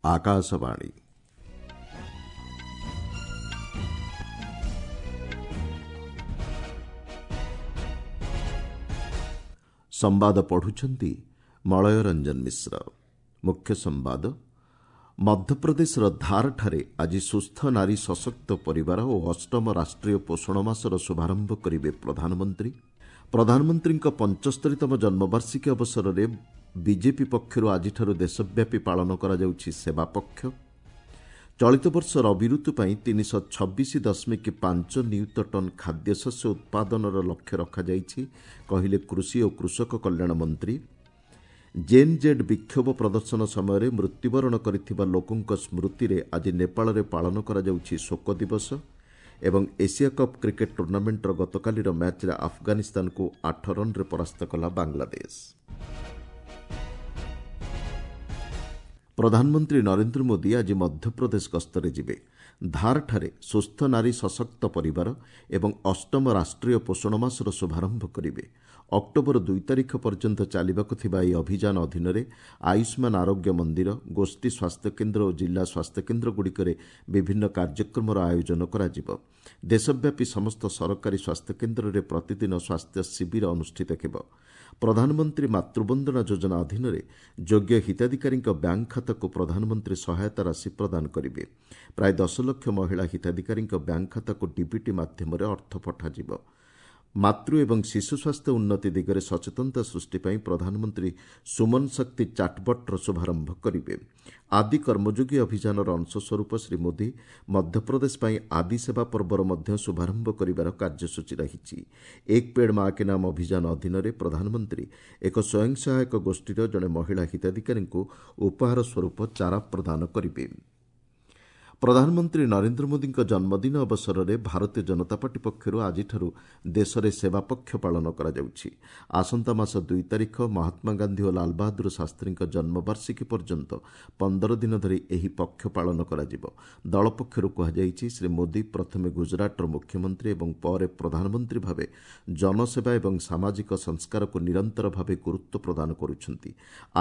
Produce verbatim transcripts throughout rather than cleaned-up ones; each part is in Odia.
ଆକାଶବାଣୀ। ସମ୍ବାଦ ପଢୁଛନ୍ତି ମଳୟ ରଞ୍ଜନ ମିଶ୍ର। ମୁଖ୍ୟ ସମ୍ବାଦ। ମଧ୍ୟପ୍ରଦେଶର ଧାରଠାରେ ଆଜି ସୁସ୍ଥ ନାରୀ ସଶକ୍ତ ପରିବାର ଓ ଅଷ୍ଟମ ରାଷ୍ଟ୍ରୀୟ ପୋଷଣ ମାସର ଶୁଭାରମ୍ଭ କରିବେ ପ୍ରଧାନମନ୍ତ୍ରୀ। ପ୍ରଧାନମନ୍ତ୍ରୀଙ୍କ ପଞ୍ଚସ୍ତରୀତମ ଜନ୍ମବାର୍ଷିକୀ ଅବସରରେ ବିଜେପି ପକ୍ଷରୁ ଆଜିଠାରୁ ଦେଶବ୍ୟାପୀ ପାଳନ କରାଯାଉଛି ସେବା ପକ୍ଷ। ଚଳିତ ବର୍ଷ ରବି ଋତୁ ପାଇଁ ତିନିଶହ ଛବିଶ ଦଶମିକ ପାଞ୍ଚ ନିୟୁତ ଟନ୍ ଖାଦ୍ୟଶସ୍ୟ ଉତ୍ପାଦନର ଲକ୍ଷ୍ୟ ରଖାଯାଇଛି, କହିଲେ କୃଷି ଓ କୃଷକ କଲ୍ୟାଣ ମନ୍ତ୍ରୀ। ଜେନ୍ ଜେଡ୍ ବିକ୍ଷୋଭ ପ୍ରଦର୍ଶନ ସମୟରେ ମୃତ୍ୟୁବରଣ କରିଥିବା ଲୋକଙ୍କ ସ୍ମୃତିରେ ଆଜି ନେପାଳରେ ପାଳନ କରାଯାଉଛି ଶୋକ ଦିବସ। ଏବଂ ଏସିଆ କପ୍ କ୍ରିକେଟ୍ ଟୁର୍ଣ୍ଣାମେଣ୍ଟର ଗତକାଲିର ମ୍ୟାଚ୍ରେ ଆଫଗାନିସ୍ତାନକୁ ଆଠ ରନ୍ରେ ପରାସ୍ତ କଲା ବାଂଲାଦେଶ। ପ୍ରଧାନମନ୍ତ୍ରୀ ନରେନ୍ଦ୍ର ମୋଦି ଆଜି ମଧ୍ୟପ୍ରଦେଶ ଗସ୍ତରେ ଯିବେ। ଧାରଠାରେ ସୁସ୍ଥ ନାରୀ ସଶକ୍ତ ପରିବାର ଏବଂ ଅଷ୍ଟମ ରାଷ୍ଟ୍ରୀୟ ପୋଷଣ ମାସର ଶୁଭାରମ୍ଭ କରିବେ। ଅକ୍ଟୋବର ଦୁଇ ତାରିଖ ପର୍ଯ୍ୟନ୍ତ ଚାଲିବାକୁ ଥିବା ଏହି ଅଭିଯାନ ଅଧୀନରେ ଆୟୁଷ୍ମାନ ଆରୋଗ୍ୟ ମନ୍ଦିର, ଗୋଷ୍ଠୀ ସ୍ୱାସ୍ଥ୍ୟକେନ୍ଦ୍ର ଓ ଜିଲ୍ଲା ସ୍ୱାସ୍ଥ୍ୟକେନ୍ଦ୍ରଗୁଡ଼ିକରେ ବିଭିନ୍ନ କାର୍ଯ୍ୟକ୍ରମର ଆୟୋଜନ କରାଯିବ। ଦେଶବ୍ୟାପୀ ସମସ୍ତ ସରକାରୀ ସ୍ୱାସ୍ଥ୍ୟକେନ୍ଦ୍ରରେ ପ୍ରତିଦିନ ସ୍ୱାସ୍ଥ୍ୟ ଶିବିର ଅନୁଷ୍ଠିତ ହେବ। ପ୍ରଧାନମନ୍ତ୍ରୀ ମାତୃବନ୍ଦନା ଯୋଜନା ଅଧୀନରେ ଯୋଗ୍ୟ ହିତାଧିକାରୀଙ୍କ ବ୍ୟାଙ୍କ ଖାତାକୁ ପ୍ରଧାନମନ୍ତ୍ରୀ ସହାୟତା ରାଶି ପ୍ରଦାନ କରିବେ। ପ୍ରାୟ ଦଶ ଲକ୍ଷ ମହିଳା ହିତାଧିକାରୀଙ୍କ ବ୍ୟାଙ୍କ ଖାତାକୁ ଡିବିଟି ମାଧ୍ୟମରେ ଅର୍ଥ ପଠାଯିବ। ମାତୃ ଏବଂ ଶିଶୁ ସ୍ୱାସ୍ଥ୍ୟ ଉନ୍ନତି ଦିଗରେ ସଚେତନତା ସୃଷ୍ଟି ପାଇଁ ପ୍ରଧାନମନ୍ତ୍ରୀ ସୁମନ ଶକ୍ତି ଚାଟ୍ବଟ୍ର ଶୁଭାରମ୍ଭ କରିବେ। ଆଦି କର୍ମଯୋଗୀ ଅଭିଯାନର ଅଂଶସ୍ୱରୂପ ଶ୍ରୀ ମୋଦି ମଧ୍ୟପ୍ରଦେଶ ପାଇଁ ଆଦି ସେବା ପର୍ବର ମଧ୍ୟ ଶୁଭାରମ୍ଭ କରିବାର କାର୍ଯ୍ୟସୂଚୀ ରହିଛି। ଏକ ପେଡ୍ ମା କେ ନାମ ଅଭିଯାନ ଅଧୀନରେ ପ୍ରଧାନମନ୍ତ୍ରୀ ଏକ ସ୍ୱୟଂ ସହାୟକ ଗୋଷ୍ଠୀର ଜଣେ ମହିଳା ହିତାଧିକାରୀଙ୍କୁ ଉପହାର ସ୍ୱରୂପ ଚାରା ପ୍ରଦାନ କରିବେ। ପ୍ରଧାନମନ୍ତ୍ରୀ ନରେନ୍ଦ୍ର ମୋଦିଙ୍କ ଜନ୍ମଦିନ ଅବସରରେ ଭାରତୀୟ ଜନତା ପାର୍ଟି ପକ୍ଷରୁ ଆଜିଠାରୁ ଦେଶରେ ସେବା ପକ୍ଷ ପାଳନ କରାଯାଉଛି। ଆସନ୍ତା ମାସ ଦୁଇ ତାରିଖ ମହାତ୍ମା ଗାନ୍ଧୀ ଓ ଲାଲବାହାଦୁର ଶାସ୍ତ୍ରୀଙ୍କ ଜନ୍ମବାର୍ଷିକୀ ପର୍ଯ୍ୟନ୍ତ ପନ୍ଦର ଦିନ ଧରି ଏହି ପକ୍ଷ ପାଳନ କରାଯିବ। ଦଳ ପକ୍ଷରୁ କୁହାଯାଇଛି, ଶ୍ରୀ ମୋଦି ପ୍ରଥମେ ଗୁଜରାଟର ମୁଖ୍ୟମନ୍ତ୍ରୀ ଏବଂ ପରେ ପ୍ରଧାନମନ୍ତ୍ରୀ ଭାବେ ଜନସେବା ଏବଂ ସାମାଜିକ ସଂସ୍କାରକୁ ନିରନ୍ତର ଭାବେ ଗୁରୁତ୍ୱ ପ୍ରଦାନ କରୁଛନ୍ତି।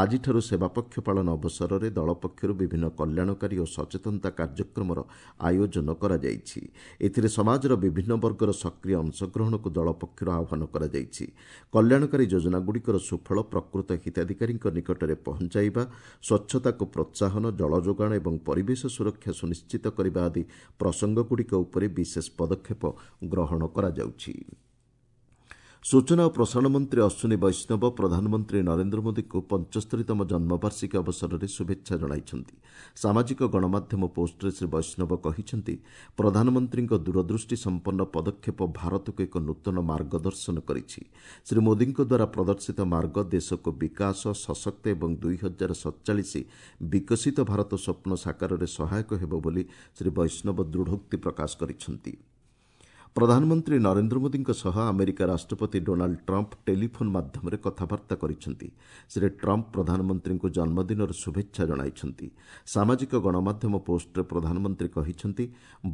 ଆଜିଠାରୁ ସେବା ପକ୍ଷ ପାଳନ ଅବସରରେ ଦଳ ପକ୍ଷରୁ ବିଭିନ୍ନ କଲ୍ୟାଣକାରୀ ଓ ସଚେତନତା କାର୍ଯ୍ୟକ୍ରମ କାର୍ଯ୍ୟକ୍ରମର ଆୟୋଜନ କରାଯାଇଛି। ଏଥିରେ ସମାଜର ବିଭିନ୍ନ ବର୍ଗର ସକ୍ରିୟ ଅଂଶଗ୍ରହଣକୁ ଦଳ ପକ୍ଷରୁ ଆହ୍ୱାନ କରାଯାଇଛି। କଲ୍ୟାଣକାରୀ ଯୋଜନାଗୁଡ଼ିକର ସୁଫଳ ପ୍ରକୃତ ହିତାଧିକାରୀଙ୍କ ନିକଟରେ ପହଞ୍ଚାଇବା, ସ୍ୱଚ୍ଛତାକୁ ପ୍ରୋତ୍ସାହନ, ଜଳ ଯୋଗାଣ ଏବଂ ପରିବେଶ ସୁରକ୍ଷା ସୁନିଶ୍ଚିତ କରିବା ଆଦି ପ୍ରସଙ୍ଗଗୁଡ଼ିକ ଉପରେ ବିଶେଷ ପଦକ୍ଷେପ ଗ୍ରହଣ କରାଯାଉଛି। ସୂଚନା ଓ ପ୍ରସାରଣ ମନ୍ତ୍ରୀ ଅଶ୍ୱିନୀ ବୈଷ୍ଣବ ପ୍ରଧାନମନ୍ତ୍ରୀ ନରେନ୍ଦ୍ର ମୋଦିଙ୍କୁ ପଞ୍ଚସ୍ତରୀତମ ଜନ୍ମବାର୍ଷିକୀ ଅବସରରେ ଶୁଭେଚ୍ଛା ଜଣାଇଛନ୍ତି। ସାମାଜିକ ଗଣମାଧ୍ୟମ ପୋଷ୍ଟରେ ଶ୍ରୀ ବୈଷ୍ଣବ କହିଛନ୍ତି, ପ୍ରଧାନମନ୍ତ୍ରୀଙ୍କ ଦୂରଦୃଷ୍ଟି ସମ୍ପନ୍ନ ପଦକ୍ଷେପ ଭାରତକୁ ଏକ ନୂତନ ମାର୍ଗଦର୍ଶନ କରିଛି। ଶ୍ରୀ ମୋଦିଙ୍କ ଦ୍ୱାରା ପ୍ରଦର୍ଶିତ ମାର୍ଗ ଦେଶକୁ ବିକାଶ, ସଶକ୍ତ ଏବଂ ଦୁଇ ହଜାର ସତଚାଳିଶ ବିକଶିତ ଭାରତ ସ୍ୱପ୍ନ ସାକାରରେ ସହାୟକ ହେବ ବୋଲି ଶ୍ରୀ ବୈଷ୍ଣବ ଦୃଢ଼ୋକ୍ତି ପ୍ରକାଶ କରିଛନ୍ତି। ପ୍ରଧାନମନ୍ତ୍ରୀ ନରେନ୍ଦ୍ର ମୋଦିଙ୍କ ସହ ଆମେରିକା ରାଷ୍ଟ୍ରପତି ଡୋନାଲ୍ଡ ଟ୍ରମ୍ପ ଟେଲିଫୋନ୍ ମାଧ୍ୟମରେ କଥାବାର୍ତ୍ତା କରିଛନ୍ତି। ଶ୍ରୀ ଟ୍ରମ୍ପ ପ୍ରଧାନମନ୍ତ୍ରୀଙ୍କୁ ଜନ୍ମଦିନର ଶୁଭେଚ୍ଛା ଜଣାଇଛନ୍ତି। ସାମାଜିକ ଗଣମାଧ୍ୟମ ପୋଷ୍ଟରେ ପ୍ରଧାନମନ୍ତ୍ରୀ କହିଛନ୍ତି,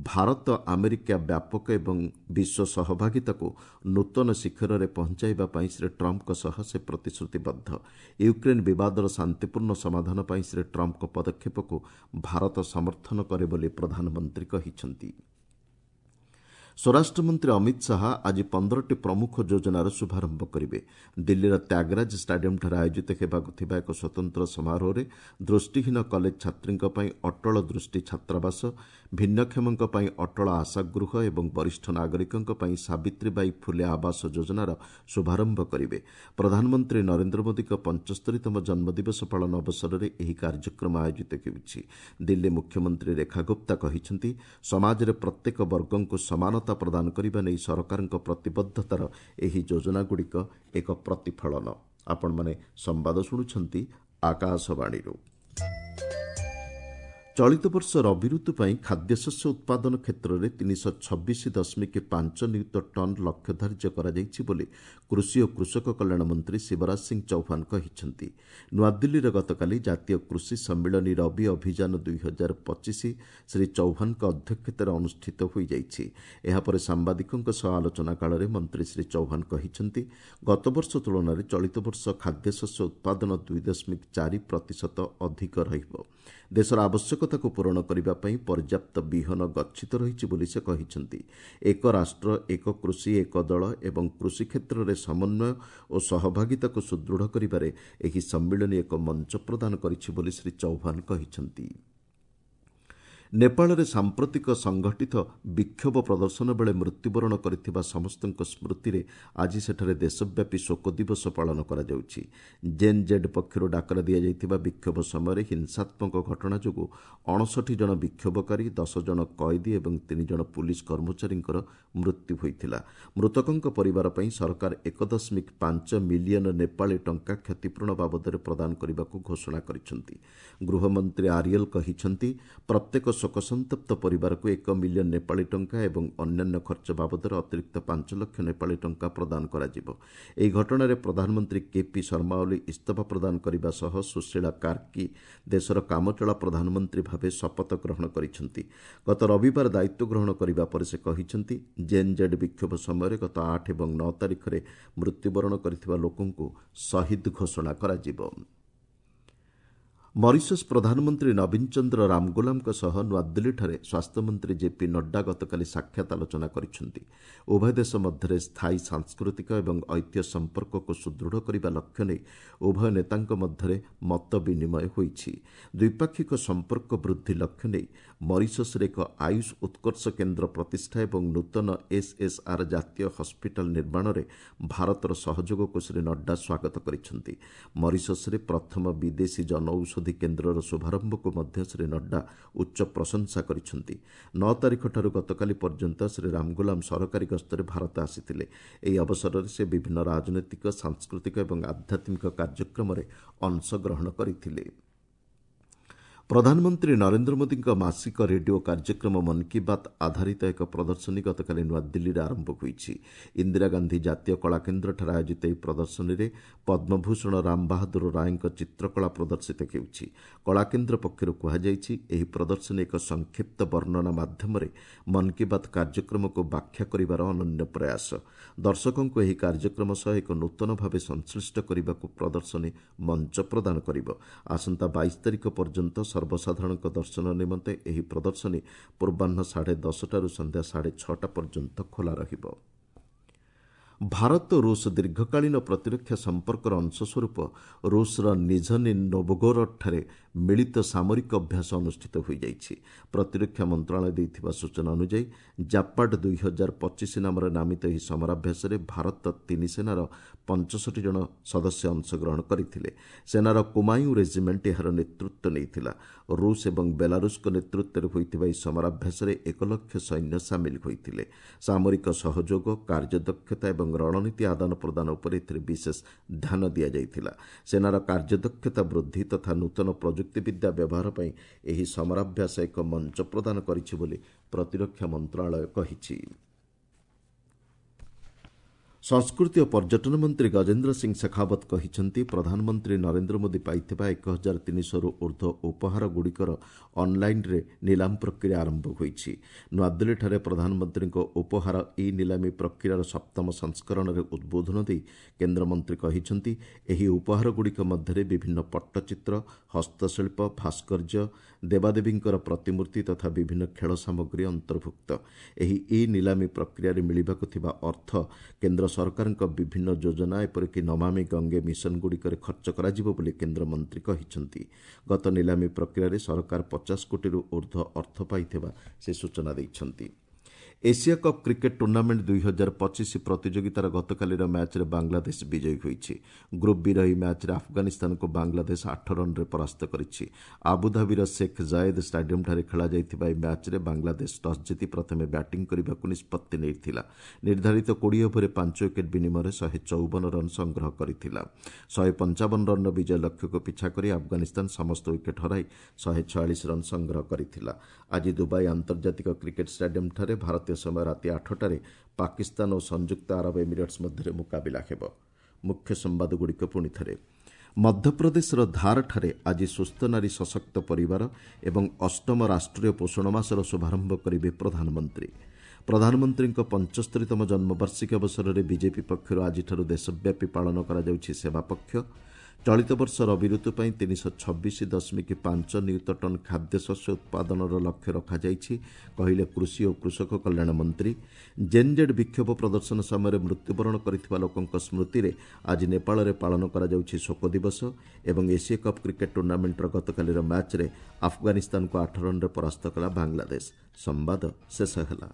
ଭାରତ ଆମେରିକା ବ୍ୟାପକ ଏବଂ ବିଶ୍ୱ ସହଭାଗିତାକୁ ନୂତନ ଶିଖରରେ ପହଞ୍ଚାଇବା ପାଇଁ ଶ୍ରୀ ଟ୍ରମ୍ପଙ୍କ ସହ ସେ ପ୍ରତିଶ୍ରୁତିବଦ୍ଧ। ୟୁକ୍ରେନ୍ ବିବାଦର ଶାନ୍ତିପୂର୍ଣ୍ଣ ସମାଧାନ ପାଇଁ ଶ୍ରୀ ଟ୍ରମ୍ପଙ୍କ ପଦକ୍ଷେପକୁ ଭାରତ ସମର୍ଥନ କରେ ବୋଲି ପ୍ରଧାନମନ୍ତ୍ରୀ କହିଛନ୍ତି। ସ୍ୱରାଷ୍ଟ୍ରମନ୍ତ୍ରୀ ଅମିତ ଶାହା ଆଜି ପନ୍ଦରଟି ପ୍ରମୁଖ ଯୋଜନାର ଶୁଭାରମ୍ଭ କରିବେ। ଦିଲ୍ଲୀର ତ୍ୟାଗରାଜ ଷ୍ଟାଡିୟମ୍ଠାରେ ଆୟୋଜିତ ହେବାକୁ ଥିବା ଏକ ସ୍ୱତନ୍ତ୍ର ସମାରୋହରେ ଦୃଷ୍ଟିହୀନ କଲେଜ ଛାତ୍ରୀଙ୍କ ପାଇଁ ଅଟଳ ଦୃଷ୍ଟି ଛାତ୍ରାବାସ, ଭିନ୍ନକ୍ଷମଙ୍କ ପାଇଁ ଅଟଳ ଆଶାଗୃହ ଏବଂ ବରିଷ୍ଠ ନାଗରିକଙ୍କ ପାଇଁ ସାବିତ୍ରୀବାଇ ଫୁଲେ ଆବାସ ଯୋଜନାର ଶୁଭାରମ୍ଭ କରିବେ। ପ୍ରଧାନମନ୍ତ୍ରୀ ନରେନ୍ଦ୍ର ମୋଦିଙ୍କ ପଞ୍ଚସ୍ତରୀତମ ଜନ୍ମଦିବସ ପାଳନ ଅବସରରେ ଏହି କାର୍ଯ୍ୟକ୍ରମ ଆୟୋଜିତ ହେଉଛି। ଦିଲ୍ଲୀ ମୁଖ୍ୟମନ୍ତ୍ରୀ ରେଖା ଗୁପ୍ତା କହିଛନ୍ତି, ସମାଜରେ ପ୍ରତ୍ୟେକ ବର୍ଗଙ୍କୁ ସମାନତା ପ୍ରଦାନ କରିବା ନେଇ ସରକାରଙ୍କ ପ୍ରତିବଦ୍ଧତାର ଏହି ଯୋଜନାଗୁଡ଼ିକ ଏକ ପ୍ରତିଫଳନ। ଆପଣମାନେ ସମ୍ବାଦ ଶୁଣୁଛନ୍ତି ଆକାଶବାଣୀରୁ। ଚଳିତ ବର୍ଷ ରବି ଋତୁ ପାଇଁ ଖାଦ୍ୟଶସ୍ୟ ଉତ୍ପାଦନ କ୍ଷେତ୍ରରେ ତିନିଶହ ଛବିଶ ଦଶମିକ ପାଞ୍ଚ ନିୟୁତ ଟନ୍ ଲକ୍ଷ୍ୟ ଧାର୍ଯ୍ୟ କରାଯାଇଛି ବୋଲି କୃଷି ଓ କୃଷକ କଲ୍ୟାଣ ମନ୍ତ୍ରୀ ଶିବରାଜ ସିଂ ଚୌହାନ କହିଛନ୍ତି। ନୂଆଦିଲ୍ଲୀରେ ଗତକାଲି ଜାତୀୟ କୃଷି ସମ୍ମିଳନୀ ରବି ଅଭିଯାନ ଦୁଇ ହଜାର ପଚିଶ ଶ୍ରୀ ଚୌହାନଙ୍କ ଅଧ୍ୟକ୍ଷତାରେ ଅନୁଷ୍ଠିତ ହୋଇଯାଇଛି। ଏହାପରେ ସାମ୍ବାଦିକଙ୍କ ସହ ଆଲୋଚନା କାଳରେ ମନ୍ତ୍ରୀ ଶ୍ରୀ ଚୌହାନ କହିଛନ୍ତି, ଗତବର୍ଷ ତୁଳନାରେ ଚଳିତ ବର୍ଷ ଖାଦ୍ୟଶସ୍ୟ ଉତ୍ପାଦନ ଦୁଇ ଦଶମିକ ଚାରି ପ୍ରତିଶତ ଅଧିକ ରହିବ। ଦେଶର ଆବଶ୍ୟକତାକୁ ପୂରଣ କରିବା ପାଇଁ ପର୍ଯ୍ୟାପ୍ତ ବିହନ ଗଚ୍ଛିତ ରହିଛି ବୋଲି ସେ କହିଛନ୍ତି। ଏକ ରାଷ୍ଟ୍ର, ଏକ କୃଷି, ଏକ ଦଳ ଏବଂ କୃଷି କ୍ଷେତ୍ରରେ ସମନ୍ୱୟ ଓ ସହଭାଗିତାକୁ ସୁଦୃଢ଼ କରିବାରେ ଏହି ସମ୍ମିଳନୀ ଏକ ମଞ୍ଚ ପ୍ରଦାନ କରିଛି ବୋଲି ଶ୍ରୀ ଚୌହାନ କହିଛନ୍ତି। ନେପାଳରେ ସାମ୍ପ୍ରତିକ ସଂଗଠିତ ବିକ୍ଷୋଭ ପ୍ରଦର୍ଶନ ବେଳେ ମୃତ୍ୟୁବରଣ କରିଥିବା ସମସ୍ତଙ୍କ ସ୍ମୃତିରେ ଆଜି ସେଠାରେ ଦେଶବ୍ୟାପୀ ଶୋକ ଦିବସ ପାଳନ କରାଯାଉଛି। ଜେନ୍ ଜେଡ୍ ପକ୍ଷରୁ ଡାକରା ଦିଆଯାଇଥିବା ବିକ୍ଷୋଭ ସମୟରେ ହିଂସାତ୍ମକ ଘଟଣା ଯୋଗୁଁ ଅଣଷଠି ଜଣ ବିକ୍ଷୋଭକାରୀ, ଦଶ ଜଣ କଏଦୀ ଏବଂ ତିନି ଜଣ ପୁଲିସ୍ କର୍ମଚାରୀଙ୍କର ମୃତ୍ୟୁ ହୋଇଥିଲା। ମୃତକଙ୍କ ପରିବାର ପାଇଁ ସରକାର ଏକ ଦଶମିକ ପାଞ୍ଚ ମିଲିୟନ ନେପାଳୀ ଟଙ୍କା କ୍ଷତିପୂରଣ ବାବଦରେ ପ୍ରଦାନ କରିବାକୁ ଘୋଷଣା କରିଛନ୍ତି। ଗୃହମନ୍ତ୍ରୀ ଆରିଏଲ୍ କହିଛନ୍ତି, ପ୍ରତ୍ୟେକ ଶୋକସନ୍ତପ୍ତ ପରିବାରକୁ ଏକ ମିଲିୟନ ନେପାଳୀ ଟଙ୍କା ଏବଂ ଅନ୍ୟାନ୍ୟ ଖର୍ଚ୍ଚ ବାବଦରେ ଅତିରିକ୍ତ ପାଞ୍ଚ ଲକ୍ଷ ନେପାଳୀ ଟଙ୍କା ପ୍ରଦାନ କରାଯିବ। ଏହି ଘଟଣାରେ ପ୍ରଧାନମନ୍ତ୍ରୀ କେପି ଶର୍ମା ଓଲି ଇସ୍ତଫା ପ୍ରଦାନ କରିବା ସହ ସୁଶୀଳା କାର୍କି ଦେଶର କାମଚଳା ପ୍ରଧାନମନ୍ତ୍ରୀ ଭାବେ ଶପଥ ଗ୍ରହଣ କରିଛନ୍ତି। ଗତ ରବିବାର ଦାୟିତ୍ୱ ଗ୍ରହଣ କରିବା ପରେ ସେ କହିଛନ୍ତି, ଜେନ୍ ଜେଡ୍ ବିକ୍ଷୋଭ ସମୟରେ ଗତ ଆଠ ଏବଂ ନଅ ତାରିଖରେ ମୃତ୍ୟୁବରଣ କରିଥିବା ଲୋକଙ୍କୁ ଶହୀଦ ଘୋଷଣା କରାଯିବ। ମରିସସ୍ ପ୍ରଧାନମନ୍ତ୍ରୀ ନବୀନ ଚନ୍ଦ୍ର ରାମଗୋଲାମଙ୍କ ସହ ନୂଆଦିଲ୍ଲୀଠାରେ ସ୍ୱାସ୍ଥ୍ୟମନ୍ତ୍ରୀ ଜେପି ନଡ୍ଡା ଗତକାଲି ସାକ୍ଷାତ ଆଲୋଚନା କରିଛନ୍ତି। ଉଭୟ ଦେଶ ମଧ୍ୟରେ ସ୍ଥାୟୀ ସାଂସ୍କୃତିକ ଏବଂ ଐତିହ୍ୟ ସମ୍ପର୍କକୁ ସୁଦୃଢ଼ କରିବା ଲକ୍ଷ୍ୟ ନେଇ ଉଭୟ ନେତାଙ୍କ ମଧ୍ୟରେ ମତ ବିନିମୟ ହୋଇଛି। ଦ୍ୱିପାକ୍ଷିକ ସମ୍ପର୍କ ବୃଦ୍ଧି ଲକ୍ଷ୍ୟ ନେଇ ମରିସସ୍ରେ ଏକ ଆୟୁଷ ଉତ୍କର୍ଷ କେନ୍ଦ୍ର ପ୍ରତିଷ୍ଠା ଏବଂ ନୂତନ ଏସ୍ଏସ୍ଆର୍ ଜାତୀୟ ହସ୍ପିଟାଲ ନିର୍ମାଣରେ ଭାରତର ସହଯୋଗକୁ ଶ୍ରୀ ନଡ୍ଡା ସ୍ୱାଗତ କରିଛନ୍ତି। ମରିସସ୍ରେ ପ୍ରଥମ ବିଦେଶୀ ଜନଔଷଧି କେନ୍ଦ୍ରର ଶୁଭାରମ୍ଭକୁ ମଧ୍ୟ ଶ୍ରୀ ନଡ୍ଡା ଉଚ୍ଚ ପ୍ରଶଂସା କରିଛନ୍ତି। ନଅ ତାରିଖଠାରୁ ଗତକାଲି ପର୍ଯ୍ୟନ୍ତ ଶ୍ରୀ ରାମଗୋଲାମ ସରକାରୀ ଗସ୍ତରେ ଭାରତ ଆସିଥିଲେ। ଏହି ଅବସରରେ ସେ ବିଭିନ୍ନ ରାଜନୈତିକ, ସାଂସ୍କୃତିକ ଏବଂ ଆଧ୍ୟାତ୍ମିକ କାର୍ଯ୍ୟକ୍ରମରେ ଅଂଶଗ୍ରହଣ କରିଥିଲେ। ପ୍ରଧାନମନ୍ତ୍ରୀ ନରେନ୍ଦ୍ର ମୋଦିଙ୍କ ମାସିକ ରେଡିଓ କାର୍ଯ୍ୟକ୍ରମ ମନ୍ କି ବାତ୍ ଆଧାରିତ ଏକ ପ୍ରଦର୍ଶନୀ ଗତକାଲି ନୂଆଦିଲ୍ଲୀରେ ଆରମ୍ଭ ହୋଇଛି। ଇନ୍ଦିରା ଗାନ୍ଧୀ ଜାତୀୟ କଳାକେନ୍ଦ୍ରଠାରେ ଆୟୋଜିତ ଏହି ପ୍ରଦର୍ଶନୀରେ ପଦ୍ମଭୂଷଣ ରାମବାହାଦୁର ରାୟଙ୍କ ଚିତ୍ରକଳା ପ୍ରଦର୍ଶିତ ହେଉଛି। କଳାକେନ୍ଦ୍ର ପକ୍ଷରୁ କୁହାଯାଇଛି, ଏହି ପ୍ରଦର୍ଶନୀ ଏକ ସଂକ୍ଷିପ୍ତ ବର୍ଣ୍ଣନା ମାଧ୍ୟମରେ ମନ୍ କି ବାତ୍ କାର୍ଯ୍ୟକ୍ରମକୁ ବ୍ୟାଖ୍ୟା କରିବାର ଅନନ୍ୟ ପ୍ରୟାସ। ଦର୍ଶକଙ୍କୁ ଏହି କାର୍ଯ୍ୟକ୍ରମ ସହ ଏକ ନୂତନ ଭାବେ ସଂଶ୍ଳିଷ୍ଟ କରିବାକୁ ପ୍ରଦର୍ଶନୀ ମଞ୍ଚ ପ୍ରଦାନ କରିବ। ଆସନ୍ତା ବାଇଶ ତାରିଖ ପର୍ଯ୍ୟନ୍ତ ସର୍ବସାଧାରଣଙ୍କ ଦର୍ଶନ ନିମନ୍ତେ ଏହି ପ୍ରଦର୍ଶନୀ ପୂର୍ବାହ୍ନ ସାଢ଼େ ଦଶଟାରୁ ସନ୍ଧ୍ୟା ସାଢ଼େ ଛଅଟା ପର୍ଯ୍ୟନ୍ତ ଖୋଲା ରହିବ। ଭାରତ ରୁଷ ଦୀର୍ଘକାଳୀନ ପ୍ରତିରକ୍ଷା ସମ୍ପର୍କର ଅଂଶସ୍ୱରୂପ ରୁଷର ନିଝନି ନୋଭଗୋରଡଠାରେ ମିଳିତ ସାମରିକ ଅଭ୍ୟାସ ଅନୁଷ୍ଠିତ ହୋଇଯାଇଛି। ପ୍ରତିରକ୍ଷା ମନ୍ତ୍ରଣାଳୟ ଦେଇଥିବା ସୂଚନା ଅନୁଯାୟୀ ଜାପାଡ୍ ଦୁଇ ହଜାର ପଚିଶ ନାମରେ ନାମିତ ଏହି ସମରାଭ୍ୟାସରେ ଭାରତ ତିନି ସେନାର ପଞ୍ଚଷଠି ଜଣ ସଦସ୍ୟ ଅଂଶଗ୍ରହଣ କରିଥିଲେ। ସେନାର କୁମାୟୁଁ ରେଜିମେଣ୍ଟ ଏହାର ନେତୃତ୍ୱ ନେଇଥିଲା। ରୁଷ ଏବଂ ବେଲାରୁଷଙ୍କ ନେତୃତ୍ୱରେ ହୋଇଥିବା ଏହି ସମରାଭ୍ୟାସରେ ଏକ ଲକ୍ଷ ସୈନ୍ୟ ସାମିଲ ହୋଇଥିଲେ। ସାମରିକ ସହଯୋଗ, କାର୍ଯ୍ୟଦକ୍ଷତା ଏବଂ ରଣନୀତି ଆଦାନ ପ୍ରଦାନ ଉପରେ ଏଥିରେ ବିଶେଷ ଧ୍ୟାନ ଦିଆଯାଇଥିଲା। ସେନାର କାର୍ଯ୍ୟଦକ୍ଷତା ବୃଦ୍ଧି ତଥା ନୂତନ ପ୍ରଯୁକ୍ତିବିଦ୍ୟା ବ୍ୟବହାର ପାଇଁ ଏହି ସମରାଭ୍ୟାସ ଏକ ମଞ୍ଚ ପ୍ରଦାନ କରିଛି ବୋଲି ପ୍ରତିରକ୍ଷା ମନ୍ତ୍ରଣାଳୟ କହିଛି। ସଂସ୍କୃତି ଓ ପର୍ଯ୍ୟଟନ ମନ୍ତ୍ରୀ ଗଜେନ୍ଦ୍ର ସିଂ ଶେଖାବତ କହିଛନ୍ତି, ପ୍ରଧାନମନ୍ତ୍ରୀ ନରେନ୍ଦ୍ର ମୋଦି ପାଇଥିବା ଏକ ହଜାର ତିନିଶହରୁ ଉର୍ଦ୍ଧ୍ୱ ଉପହାରଗୁଡ଼ିକର ଅନ୍ଲାଇନ୍ରେ ନିଲାମ ପ୍ରକ୍ରିୟା ଆରମ୍ଭ ହୋଇଛି। ନୂଆଦିଲ୍ଲୀଠାରେ ପ୍ରଧାନମନ୍ତ୍ରୀଙ୍କ ଉପହାର ଇ ନିଲାମୀ ପ୍ରକ୍ରିୟାର ସପ୍ତମ ସଂସ୍କରଣରେ ଉଦ୍ବୋଧନ ଦେଇ କେନ୍ଦ୍ରମନ୍ତ୍ରୀ କହିଛନ୍ତି, ଏହି ଉପହାରଗୁଡ଼ିକ ମଧ୍ୟରେ ବିଭିନ୍ନ ପଟ୍ଟଚିତ୍ର, ହସ୍ତଶିଳ୍ପ, ଭାସ୍କର୍ଯ୍ୟ, ଦେବାଦେବୀଙ୍କର ପ୍ରତିମୂର୍ତ୍ତି ତଥା ବିଭିନ୍ନ ଖେଳ ସାମଗ୍ରୀ ଅନ୍ତର୍ଭୁକ୍ତ। ଏହି ଇ ନିଲାମୀ ପ୍ରକ୍ରିୟାରେ ମିଳିବାକୁ ଥିବା ଅର୍ଥ କେନ୍ଦ୍ର ସରକାରଙ୍କ ବିଭିନ୍ନ ଯୋଜନା ଏପରିକି ନମାମି ଗଙ୍ଗେ ମିଶନଗୁଡ଼ିକରେ ଖର୍ଚ୍ଚ କରାଯିବ ବୋଲି କେନ୍ଦ୍ରମନ୍ତ୍ରୀ କହିଛନ୍ତି। ଗତ ନିଲାମୀ ପ୍ରକ୍ରିୟାରେ ସରକାର ପଚାଶ କୋଟିରୁ ଉର୍ଦ୍ଧ୍ୱ ଅର୍ଥ ପାଇଥିବା ସେ ସୂଚନା ଦେଇଛନ୍ତି। ଏସିଆ କପ୍ କ୍ରିକେଟ୍ ଟୁର୍ଣ୍ଣାମେଣ୍ଟ ଦୁଇ ହଜାର ପଚିଶ ପ୍ରତିଯୋଗିତାର ଗତକାଲିର ମ୍ୟାଚ୍ରେ ବାଂଲାଦେଶ ବିଜୟୀ ହୋଇଛି। ଗ୍ରୁପ୍ ବିର ଏହି ମ୍ୟାଚ୍ରେ ଆଫଗାନିସ୍ତାନକୁ ବାଂଲାଦେଶ ଆଠ ରନ୍ରେ ପରାସ୍ତ କରିଛି। ଆବୁଧାବିର ଶେଖ୍ ଜାୟେଦ୍ ଷ୍ଟାଡିୟମ୍ଠାରେ ଖେଳାଯାଇଥିବା ଏହି ମ୍ୟାଚ୍ରେ ବାଂଲାଦେଶ ଟସ୍ ଜିତି ପ୍ରଥମେ ବ୍ୟାଟିଂ କରିବାକୁ ନିଷ୍ପତ୍ତି ନେଇଥିଲା। ନିର୍ଦ୍ଧାରିତ କୋଡ଼ିଏ ଓଭରରେ ପାଞ୍ଚ ୱିକେଟ୍ ବିନିମୟରେ ଶହେ ଚଉବନ ରନ୍ ସଂଗ୍ରହ କରିଥିଲା। ଶହେ ପଞ୍ଚାବନ ରନ୍ର ବିଜୟ ଲକ୍ଷ୍ୟକୁ ପିଛା କରି ଆଫଗାନିସ୍ତାନ ସମସ୍ତ ୱିକେଟ୍ ହରାଇ ଶହେ ଛୟାଳିଶ ରନ୍ ସଂଗ୍ରହ କରିଥିଲା। ଆଜି ଦୁବାଇ ଆନ୍ତର୍ଜାତିକ କ୍ରିକେଟ୍ ଷ୍ଟାଡିୟମ୍ଠାରେ ଭାରତୀୟ ସମୟ ରାତି ଆଠଟାରେ ପାକିସ୍ତାନ ଓ ସଂଯୁକ୍ତ ଆରବ ଏମିରେଟ୍ସ ମଧ୍ୟରେ ମୁକାବିଲା ହେବ। ମୁଖ୍ୟ ସମ୍ବାଦଗୁଡ଼ିକ ପୁଣି ଥରେ। ମଧ୍ୟପ୍ରଦେଶର ଧାରଠାରେ ଆଜି ସୁସ୍ଥ ନାରୀ ସଶକ୍ତ ପରିବାର ଏବଂ ଅଷ୍ଟମ ରାଷ୍ଟ୍ରୀୟ ପୋଷଣ ମାସର ଶୁଭାରମ୍ଭ କରିବେ ପ୍ରଧାନମନ୍ତ୍ରୀ। ପ୍ରଧାନମନ୍ତ୍ରୀଙ୍କ ପଞ୍ଚସ୍ତରୀତମ ଜନ୍ମବାର୍ଷିକୀ ଅବସରରେ ବିଜେପି ପକ୍ଷରୁ ଆଜିଠାରୁ ଦେଶବ୍ୟାପୀ ପାଳନ କରାଯାଉଛି ସେବା ପକ୍ଷ। ଚଳିତ ବର୍ଷ ରବି ଋତୁ ପାଇଁ ତିନିଶହ ଛବିଶ ଦଶମିକ ପାଞ୍ଚ ନିୟୁତ ଟନ୍ ଖାଦ୍ୟଶସ୍ୟ ଉତ୍ପାଦନର ଲକ୍ଷ୍ୟ ରଖାଯାଇଛି, କହିଲେ କୃଷି ଓ କୃଷକ କଲ୍ୟାଣ ମନ୍ତ୍ରୀ। ଜେନ୍ଜେଡ୍ ବିକ୍ଷୋଭ ପ୍ରଦର୍ଶନ ସମୟରେ ମୃତ୍ୟୁବରଣ କରିଥିବା ଲୋକଙ୍କ ସ୍ମୃତିରେ ଆଜି ନେପାଳରେ ପାଳନ କରାଯାଉଛି ଶୋକ ଦିବସ। ଏବଂ ଏସୀୟ କପ୍ କ୍ରିକେଟ୍ ଟୁର୍ଣ୍ଣାମେଣ୍ଟର ଗତକାଲିର ମ୍ୟାଚ୍ରେ ଆଫଗାନିସ୍ତାନକୁ ଆଠ ରନ୍ରେ ପରାସ୍ତ କଲା ବାଂଲାଦେଶ। ସମ୍ବାଦ ଶେଷ ହେଲା।